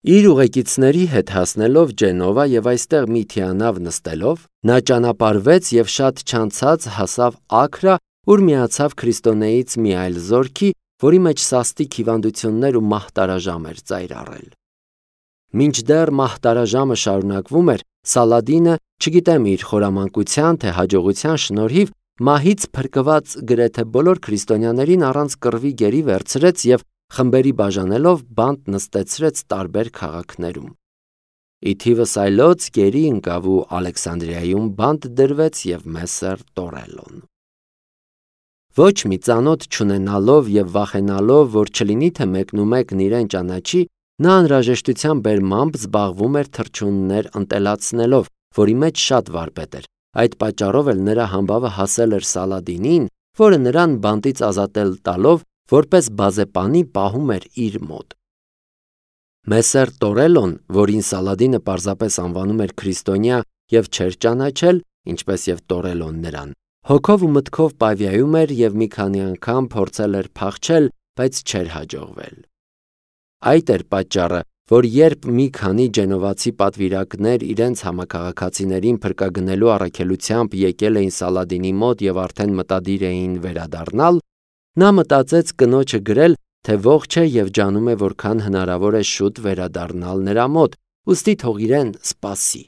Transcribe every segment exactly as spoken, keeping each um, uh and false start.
Իր ուղեկիցների հետ հասնելով Ջենովա եւ այստեղ մի թիանավ նստելով, նա ճանապարհվեց եւ շատ չանցած հասավ Աքրա, ուր միացավ քրիստոնեից մի այլ զորքի, որի մեջ սաստիկ հիվանդություններ ու մահտարաժամ էր ծայր առել։ Մինչդեռ մահտարաժամը շարունակվում էր, Սալադինը, չգիտեմ իր խորամանկության թե հաջողության շնորհիվ, մահից փրկված գրեթե բոլոր քրիստոնյաներին առանց կռվի գերի վերցրեց եւ խմբերի բաժանելով բանտ նստեցրեց տարբեր քաղաքներում։ Ի թիվս այլոց գերի ընկավ ու Ալեքսանդրիայում բանտ դրվեց եւ Մեսեր տորելոն։ Ոչ մի ծանոթ չունենալով եւ վախենալով, որ չլինի թե մեկնումեկն իրեն ճանաչի, նա անհրաժեշտության բերմամբ զբաղվում էր թռչուններ ընտելացնելով, որի մեջ շատ վարպետ էր։ Այդ պատճառով էլ նրա համբավը հասել էր Սալադինին, որը նրան բանտից ազատել տալով որպես բազեպանի պահում էր իր մոտ։ Մեսեր տորելոն, որին Սալադինը պարզապես անվանում էր քրիստոնյա եւ չէր ճանաչել, ինչպես եւ տորելոն նրան, հոգով ու մտքով պավիայում էր եւ մի քանի անգամ փորձել էր փախչել, բայց չէր հաջողվել։ Այդ էր պատճառը, որ երբ մի քանի ջենովացի պատվիրակներ իրենց համակարգացիներին փրկագնելու առաքելությամբ եկել էին Սալադինի մոտ եւ արդեն մտադիր էին վերադառնալ, նա մտածեց կնոջը գրել, թե ողջ է եւ ջանում է որքան հնարավոր է շուտ վերադառնալ նրա մոտ, ուստի թող իրեն սպասի։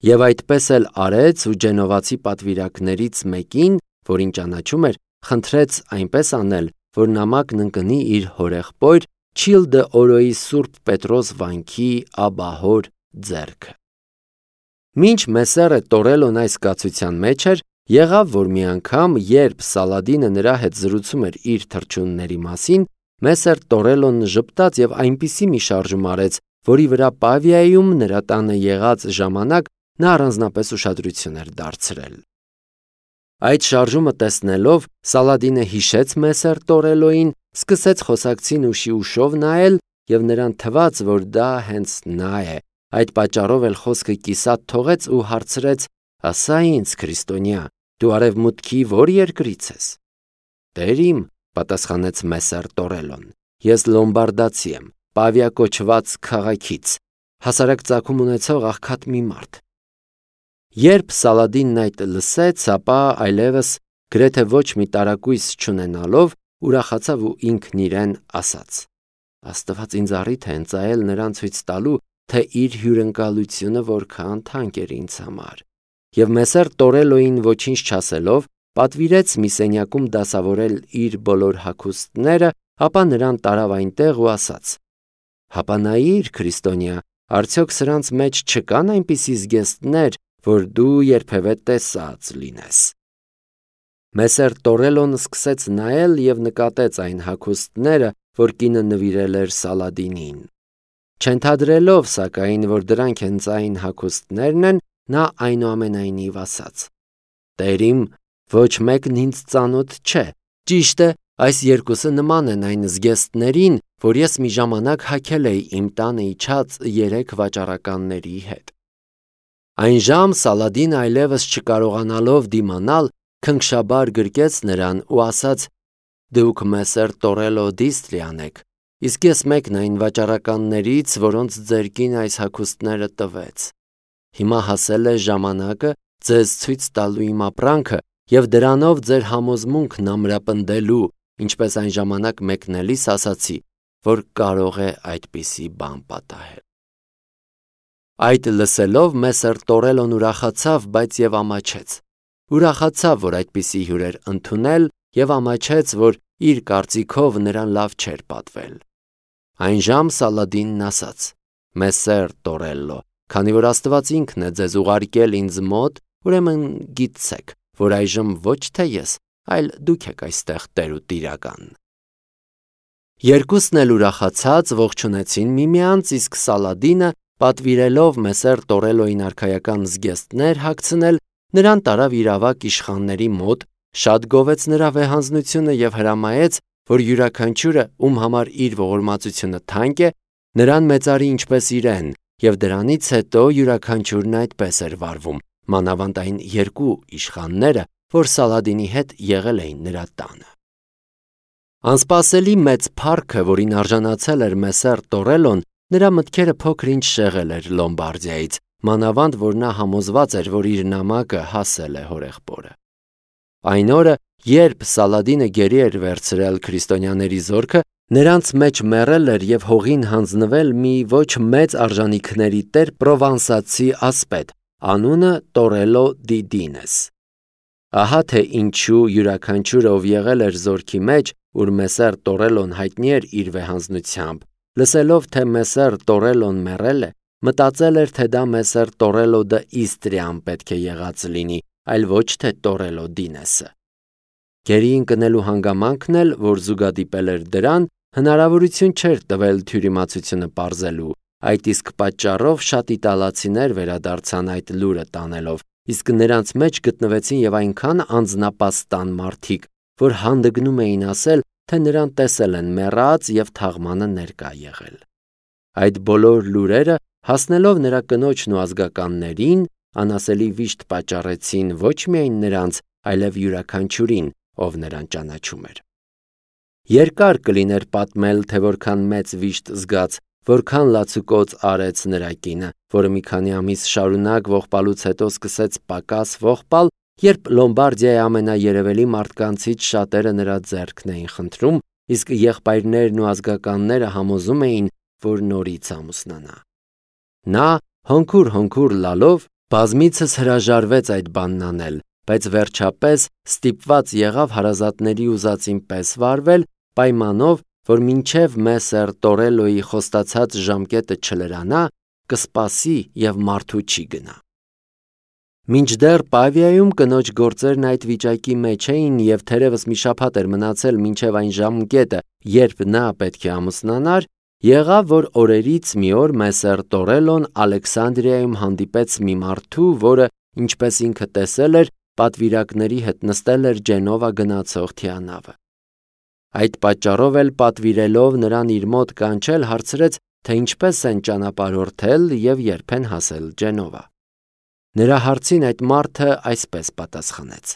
Եվ այդպես էլ արեց ու ջենովացի պատվիրակներից մեկին, որին ճանաչում էր, խնդրեց այնպես անել, որ նամակն ընկնի իր հորեղբոր Չիլ դե Օրոյի Սուրբ Պետրոս վանքի աբահոր ձեռքը։ Մինչ Մեսերը տորելոն այս կացության մեջ էր, եղավ, որ մի անգամ, երբ Սալադինը նրա հետ զրուցում էր իր թռչունների մասին, Մեսեր տորելոն ժպտաց եւ այնպիսի մի շարժում արեց, որի վրա Պավիայում նրա տանը եղած ժամանակ նա առանձնապես ուշադրություն էր դարձրել։ Այդ շարժումը տեսնելով Սալադինը հիշեց Մեսեր տորելոին, սկսեց խոսակցին ուշի ուշով նայել եւ նրան թվաց, որ դա հենց նա է։ Այդ պատճառով էլ խոսքը կիսատ թողեց ու հարցրեց. «Ասա ինձ, քրիստոնյա, դու արևմուտքի ո՞ր երկրից ես»։ «Տեր իմ», պատասխանեց Մեսեր տորելոն, «ես լոմբարդացի եմ, Պավիա կոչված քաղաքից, հասարակ ծագում ունեցող աղքատ մի մարդ»։ Երբ Սալադինն այդ լսեց, ապա այլևս գրեթե ոչ մի տարակույս չունենալով ուրախացավ ու ինքն իրեն ասաց. «Աստված ինձ առիթ է ընծայել նրան ցույց տալու, թե իր հյուրընկալությունը որքան թանկ էր ինձ համար»։ Եվ Մեսեր տորելոին ոչինչ չասելով, պատվիրեց մի սենյակում դասավորել իր բոլոր հագուստները, ապա նրան տարավ այնտեղ ու ասաց. «Հապա նայիր, քրիստոնյա, արդյոք սրանց մեջ չկան այնպիսի զգեստներ, որ դու երբևէ տեսած լինես»։ Մեսեր տորելոն սկսեց նայել եւ նկատեց այն հագուստները, որ կինը նվիրել էր Սալադինին։ Չընդհանրելով, սակայն, որ դրանք հենց այն հագուստներն են, նա այնուամենայնիվ ասաց. «Տեր իմ, ոչ մեկն ինձ ծանոթ չէ։ Ճիշտ է, այս երկուսը նման են այն զգեստներին, որ ես մի ժամանակ հագել էի իմ տանը իջած երեք վաճառականների հետ»։ Այնժամ Սալադինը այլևս չկարողանալով դիմանալ, քնքշաբար գրկեց նրան ու ասաց. «Դուք Մեսեր տորելո Դիստրիան եք, իսկ ես մեկն այն վաճառականներից, որոնց ձեր կինը այս հագուստները տվեց։ Հիմա հասել է ժամանակը ձեզ ցույց տալու իմ ապրանքը եւ դրանով ձեր համոզմունքն ամրապնդելու, ինչպես այն ժամանակ մեկնելիս ասացի, որ կարող է այդպիսի բան պատահել»։ Այդ լսելով Մեսեր տորելոն ուրախացավ, բայց եւ ամաչեց։ Ուրախացավ, որ այդպիսի հյուր էր ընդունել եւ ամաչեց, որ իր կարծիքով նրան լավ չէր պատվել։ Այնժամ Սալադինն ասաց. «Մեսեր տորելո, քանի որ Աստված ինքն է ձեզ ուղարկել ինձ մոտ, ուրեմն գիտցեք, որ այժմ ոչ թե ես, այլ դուք եք այստեղ տեր ու տիրական»։ Երկուսն էլ ուրախացած ողջունեցին միմյանց, իսկ Սալադինը, պատվիրելով Մեսեր տորելոին արքայական զգեստներ հագցնել, նրան տարավ իր ավագ իշխանների մոտ, շատ գովեց նրա վեհանձնությունը եւ հրամայեց, որ յուրաքանչյուրը, ում համար իր ողորմածությունը թանկ է, նրան մեծարի ինչպես իրեն, եւ դրանից հետո յուրաքանչյուրն այդպես էր վարվում, մանավանդ այն երկու իշխանները, որ Սալադինի հետ եղել էին նրա տանը։ Անսպասելի մեծ փառքը, որին արժանացել էր Մեսեր տորելոն, նրա մտքերը փոքր-ինչ շեղել էր Լոմբարդիայից, մանավանդ որ նա համոզված էր, որ իր նամակը հասել է հորեղբորը։ Այն օրը, երբ Սալադինը գերի էր վերցրել քրիստոնյաների զորքը, նրանց մեջ մեռել էր և հողին հանձնվել մի ոչ մեծ արժանիքների տեր պրովանսացի ասպետ, անունը Տորելո դի Դինես։ Ահա թե ինչու յուրաքանչյուրը, ով եղել էր զորքի մեջ, ուր Մեսեր Տորելոն հայտնի էր իր վեհանձնությամբ, լսելով, թե Մեսեր Տորելոն մեռել է, մտածել էր, թե դա Մեսեր Տորելո դը Իստրիան պետք է եղած լինի, այլ ոչ թե Տորելո Դինեսը։ Գերի ընկնելու հանգամանքն էլ, որ զուգադիպել էր դրան, հնարավորություն չէր տվել թյուրիմացությունը պարզելու, այդ իսկ պատճառով շատ իտալացիներ վերադարձան այդ լուրը տանելով, իսկ նրանց մեջ գտնվեցին և այնքան անձնապաստան մարդիկ, որ հանդգնում էին ասել, թե նրան տեսել են մեռած և թաղմանը ներկա եղել։ Այդ բոլոր լուրերը, հասնելով նրա կնոջն ու ազգականներին, անասելի վիշտ պատճառեցին ոչ միայն նրանց, այլև յուրաքանչյուրին, ով նրան ճանաչում էր։ Երկար կլիներ պատմել, թե որքան մեծ վիշտ զգաց, որքան լացուկոծ արեց նրա կինը, որը մի քանի ամիս շարունակ ողբալուց հետո սկսեց պակաս ողբալ, երբ Լոմբարդիայի ամենաերևելի մարդկանցից շատերը նրա ձեռքն էին խնդրում, իսկ եղբայրներն ու ազգականները համոզում էին, որ նորից ամուսնանա։ Նա, հոնքուր-հոնքուր լալով, բազմիցս հրաժարվեց այդ բանն անել, բայց վերջապես ստիպված եղավ հարազատների ուզածին պես վարվել, պայմանով, որ մինչև Մեսեր Տորելոյի խոստացած ժամկետը չլրանա, կսպասի և մարդու չի գնա։ Մինչդեռ Պավիայում կնոջ գործերն այդ վիճակի մեջ էին և թերևս մի շաբաթ էր մնացել մինչև այն ժամկետը, երբ նա պետք է ամուսնանար, եղավ, որ օրերից մի օր Մեսեր Տորելոն Ալեքսանդրիայում հանդիպեց մի մարդու, որը, ինչպես ինքը տեսել էր, պատվիրակների հետ նստել էր Ջենովա գնացող թիանավը։ Այդ պատճառով էլ պատվիրելով նրան իր մոտ կանչել, հարցրեց, թե ինչպես են ճանապարհորդել և երբ են հասել Ջենովա։ Նրա հարցին այդ մարդը այսպես պատասխանեց.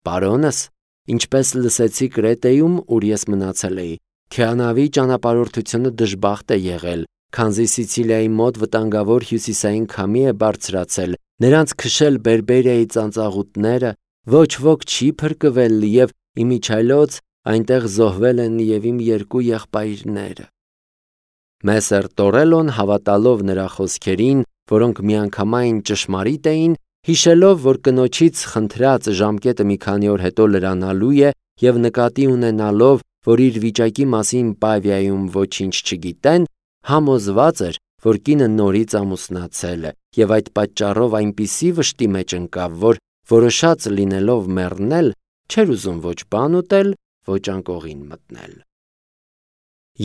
«Պարոնս, ինչպես լսեցի Կրետեում, ուր ես մնացել էի, Թիանավի ճանապարհորդությունը դժբախտ է եղել, քանզի Սիցիլիայի մոտ վտանգավոր հյուսիսային քամի է բարձրացել, նրանց քշել Բերբերիայի ծանծաղուտները, ոչ ոք չի փրկվել և իմիջիայլոց այնտեղ զոհվել են և իմ երկու եղբայրները»։ Մեսեր Տորելոն, հավատալով նրա խոսքերին, որոնք միանգամայն ճշմարիտ էին, հիշելով, որ կնոջից խնդրած ժամկետը մի քանի օր հետո լրանալու է և նկատի ունենալով, որ իր վիճակի մասին Պավիայում ոչինչ չգիտեն, համոզված էր, որ կինը նորից ամուսնացել է և այդ պատճառով այնպիսի վշտի մեջ ընկավ, որ որոշած լինելով մեռնել, չէր ուզում ոչ բան ուտել, ոչ անկողին մտնել։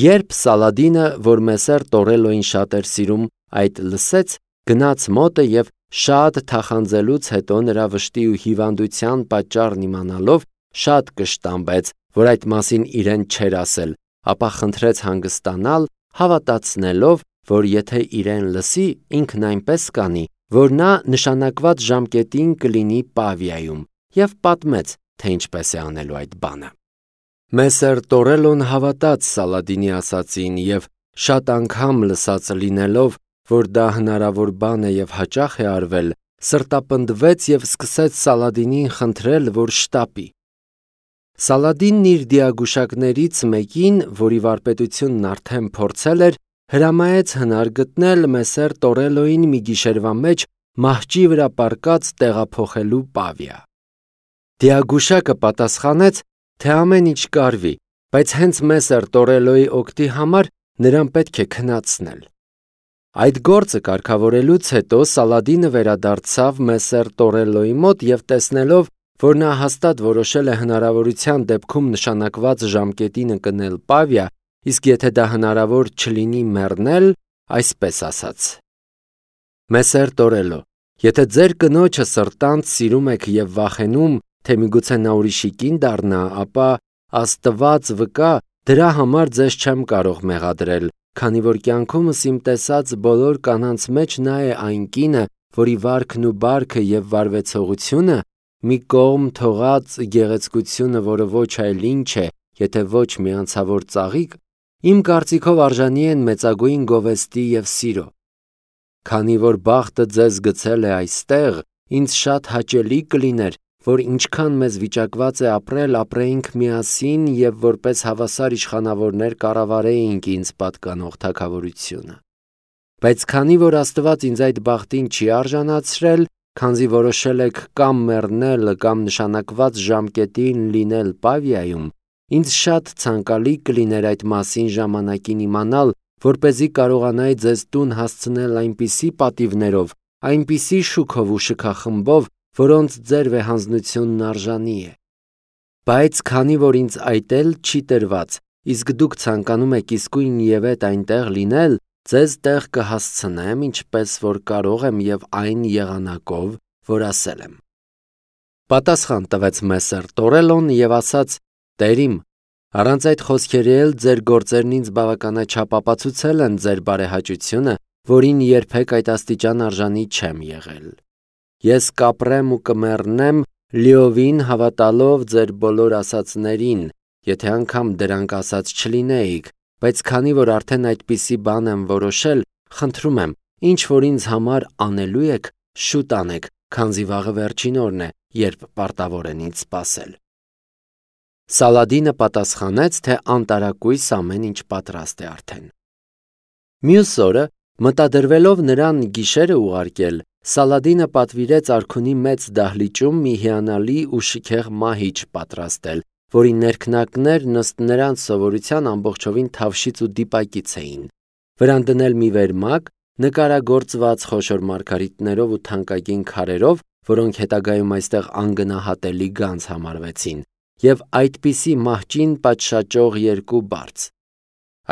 Երբ Սալադինը, որ Մեսեր Տորելոյին շատ էր սիրում, այդ լսեց, գնաց մոտը և շատ թախանձելուց հետո նրա վշտի ու հիվանդության պատճառն իմանալով, շատ կշտամբեց, որ այդ մասին իրեն չէր ասել, ապա խնդրեց հանգստանալ, հավատացնելով, որ եթե իրեն լսի, ինքն այնպես կանի, որ նա նշանակված ժամկետին կլինի Պավիայում, և պատմեց, թե ինչպես է անելու այդ բանը։ Մեսեր Տորելոն հավատաց Սալադինի ասածին և շատ անգամ լսած լինելով, որ դա հնարավոր բան է և հաճախ է արվել, սրտապնդվեց և սկսեց Սալադինին խնդրել, որ շտապի։ Սալադինն իր դիագուշակներից մեկին, որի վարպետությունն արդեն փորձել էր, հրամայեց հնար գտնել Մեսեր Տորելոյին մի գիշերվա մեջ մահճի վրա պառկած տեղափոխելու Պավիա։ Դիագուշակը պատասխանեց, թե ամեն ինչ կարվի, բայց հենց Մեսեր Տորելոյի օգտի համար նրան պետք է քնացնել։ Այդ գործը կարգավորելուց հետո Սալադինը վերադարձավ Մեսեր Տորելոյի մոտ և տեսնելով, որ նա հաստատ որոշել է հնարավորության դեպքում նշանակված ժամկետին ընկնել Պավիա, իսկ եթե դա հնարավոր չլինի մեռնել, այսպես ասաց. «Մեսեր Տորելո, եթե ձեր կնոջը սրտանց սիրում եք և վախենում, թե միգուցե նա ուրիշի կին դառնա, ապա Աստված վկա, դրա համար ձեզ չեմ կարող մեղադրել, քանի որ կյանքումս իմ տեսած բոլոր կանանց մեջ նա է այն կինը, որի վարքն ու բարքը և վարվեցողությունը, մի կողմ թողած գեղեցկությունը, որը ոչ այլ ինչ է, եթե ոչ մի անցավոր ծաղիկ, Իմ կարծիքով արժանի են մեծագույն գովեստի և սիրո։ Քանի որ բախտը ձեզ գցել է այստեղ, ինձ շատ հաճելի կլիներ, որ ինչքան մեզ վիճակված է ապրել, ապրեինք միասին և որպես հավասար իշխանավորներ կառավարեինք ինձ պատկանող թագավորությունը։ Բայց քանի որ Աստված ինձ այդ բախտին չի արժանացրել, քանզի որոշել եք կամ մեռնել, կամ նշանակված ժամկետին լինել Պավիայում, ինձ շատ ցանկալի կլիներ այդ մասին ժամանակին իմանալ, որպեսզի կարողանայի ձեզ տուն հասցնել այնպիսի պատիվներով, այնպիսի շուքով ու շքախմբով, որոնց ձեր վեհանձնությունն արժանի է։ Բայց քանի որ ինձ այդ էլ չի տրված, իսկ դուք ցանկանում եք իսկույն և էդ այնտեղ լինել, ձեզ տեղ կհասցնեմ, ինչպես որ կարող եմ և այն եղանակով, որ ասել եմ։ Պատասխան տվեց Մեսեր Տորելոն և ասաց. Տեր իմ, առանց այդ խոսքերի էլ ձեր գործերն ինձ բավականաչափ ապացուցել են ձեր բարեհաճությունը, որին երբեք այդ աստիճան արժանի չեմ եղել։ Ես կապրեմ ու կմեռնեմ լիովին հավատալով ձեր բոլոր ասածներին, եթե անգամ դրանք ասած չլինեիք, բայց քանի որ արդեն այդպիսի բան եմ որոշել, խնդրում եմ, ինչ որ ինձ համար անելու եք, շուտ անեք, քանզի վաղը վերջին օրն է, երբ պարտավոր են ինձ սպասել։ Սալադինը պատասխանեց, թե անտարակույս ամեն ինչ պատրաստ է արդեն։ Մյուս օրը, մտադրվելով նրան գիշերը ուղարկել, Սալադինը պատվիրեց արքունի մեծ դահլիճում մի հիանալի ու շքեղ մահիճ պատրաստել, որի ներքնակներն ըստ նրանց սովորության ամբողջովին թավշից ու դիպակից էին, վրան դնել մի վերմակ, նկարագործված խոշոր մարգարիտներով ու թանկագին քարերով, որոնք հետագայում այստեղ անգնահատելի գանձ համարվեցին, և այդպիսի մահճին պատշաճող երկու բարձ։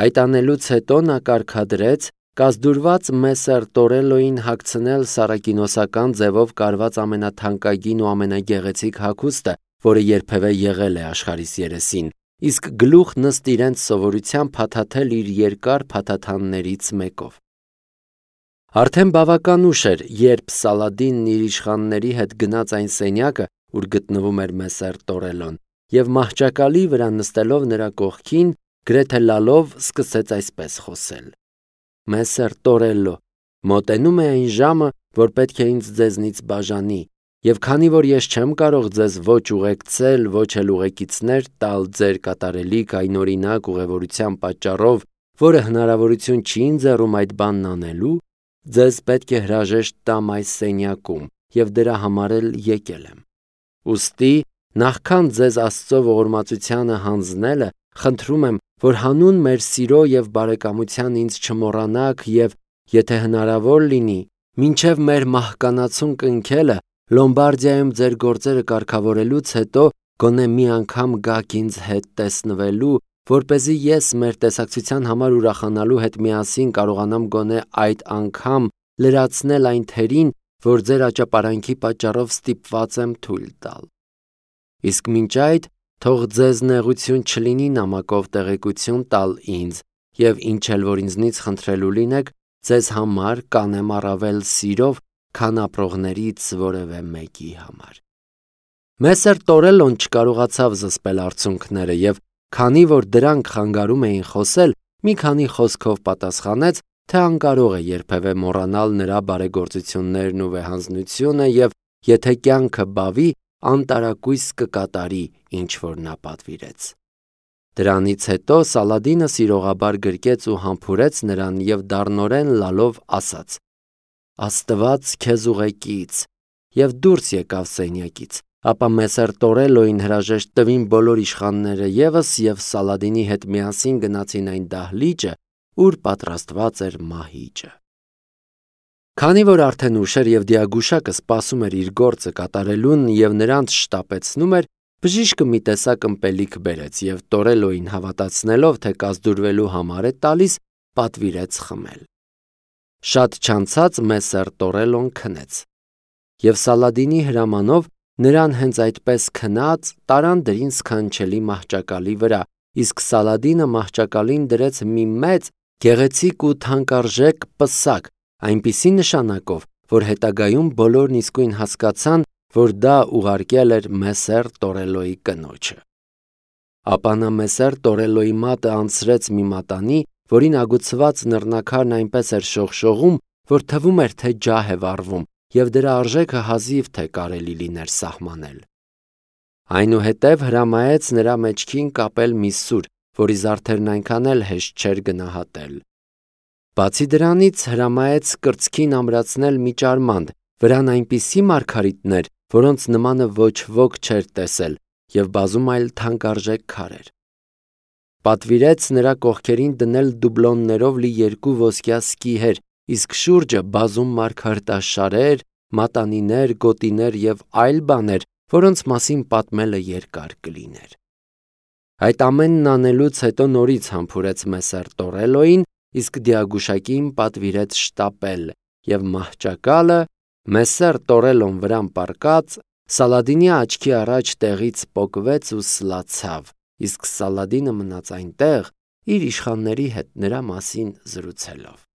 Այդ անելուց հետո նա կարգադրեց կազդուրված Մեսեր Տորելոյին հագցնել սառակինոսական ձևով կարված ամենաթանկագին ու ամենագեղեցիկ հագուստը, որը երբևէ եղել է աշխարհիս երեսին, իսկ գլուխն ըստ իրենց սովորության փաթաթել իր երկար փաթաթաններից մեկով։ Արդեն բավական ուշ էր, երբ Սալադինն իր իշխանների հետ գնաց այն սենյակը, ուր գտնվում էր Մեսեր Տորելոն, և մահճակալի վրա նստելով նրա կողքին, գրեթե լալով սկսեց այսպես խոսել. Մեսեր Տորելո, մոտենում է այն ժամը, որ պետք է ինձ ձեզնից բաժանի, և քանի որ ես չեմ կարող ձեզ ոչ ուղեկցել, ոչ էլ ուղեկիցներ տալ ձեր կատարելիք այնօրինակ ուղևորության պատճառով, որը հնարավորություն չի ընձեռում այդ բանն անելու, ձեզ պետք է հրաժեշտ տամ այս սենյակում, և դրա համար էլ եկել եմ։ Ուստի, նախքան ձեզ Աստծո ողորմածությանը հանձնելը, խնդրում եմ, որ հանուն մեր սիրո և բարեկամության ինձ չմոռանաք և, եթե հնարավոր լինի, մինչև մեր մահկանացուն կնքելը, Լոմբարդիայում ձեր գործերը կարգավորելուց հետո գոնե մի անգամ գաք ինձ հետ տեսնվելու, որպեսզի ես մեր տեսակցության համար ուրախանալու հետ միասին կարողանամ գոնե այդ անգամ լրացնել այն թերին, որ ձեր աճապարանքի պատճառով ստիպված եմ թույլ տալ։ Իսկ մինչ այդ, թող ձեզ նեղություն չլինի նամակով տեղեկություն տալ ինձ, և ինչ էլ որ ինձնից խնդրելու լինեք, ձեզ համար կանեմ առավել սիրով, քան ապրողներից որևէ մեկի համար։ Մեսեր Տորելոն չկարողացավ զսպել արցունքները և, քանի որ դրանք խանգարում էին խոսել, մի քանի խոսքով պատասխանեց, թե անկարող է երբևէ մոռանալ նրա բարեգործություններն ու վեհանձնությունը և, եթե կյանքը բավի, անտարակույս կկատարի, ինչ որ նա պատվիրեց։ Դրանից հետո Սալադինը սիրողաբար գրկեց ու համբուրեց նրան և դառնորեն լալով ասաց. Աստված քեզ ուղեկից, և դուրս եկավ սենյակից, ապա Մեսեր Տորելոյին հրաժեշտ տվին բոլոր իշխանները ևս և Սալադինի հետ միասին գնացին այն դահլիճը, ուր պատրաստված էր մահիճը։ Քանի որ արդեն ուշ էր և դիագուշակը սպասում էր իր գործը կատարելուն և նրանց շտապեցնում էր, բժիշկը մի տեսակ ըմպելիք բերեց և Տորելոյին հավատացնելով, թե կազդուրվելու համար է տալիս, պատվիրեց խմել։ Շատ չանցած Մեսեր Տորելոն քնեց, և Սալադինի հրամանով նրան հենց այդպես քնած տարան դրին սքանչելի մահճակալի վրա, իսկ Սալադինը մահճակալին դրեց մի մեծ, գեղեցիկ ու թանկարժեք պսակ, այնպիսի նշանակով, որ հետագայում բոլորն իսկույն հասկացան, որ դա ուղարկել էր Մեսեր Տորելոյի կնոջը։ Ապա նա Մեսեր Տորելոյի մատը անցրեց մի մատանի, որին ագուցված նռնակարն այնպես էր շողշողում, որ թվում էր, թե ջահ է վառվում, և դրա արժեքը հազիվ թե կարելի լիներ սահմանել։ Այնուհետև հրամայեց նրա մեջքին կապել մի սուր, որի զարդերն այնքան էլ հեշտ չէր գնահատել։ Բացի դրանից հրամայեց կրծքին ամրացնել մի ճարմանդ, վրան այնպիսի մարգարիտներ, որոնց նմանը ոչ ոք չէր տեսել, և բազում այլ թանկարժեք քարեր։ Պատվիրեց նրա կողքերին դնել դուբլոններով լի երկու ոսկյա սկիհեր, իսկ շուրջը բազում մարգարտաշարեր, մատանիներ, գոտիներ և այլ բաներ, որոնց մասին պատմելը երկար կլիներ։ Այդ ամենն անելուց հետո նորից համբուրեց Մեսեր Տորելոյին, իսկ դիագուշակին պատվիրեց շտապել, և մահճակալը, Մեսեր Տորելոն վրան պառկած, Սալադինի աչքի առաջ տեղից պոկվեց ու սլացավ, իսկ Սալադինը մնաց այնտեղ, իր իշխանների հետ նրա մասին զրուցելով։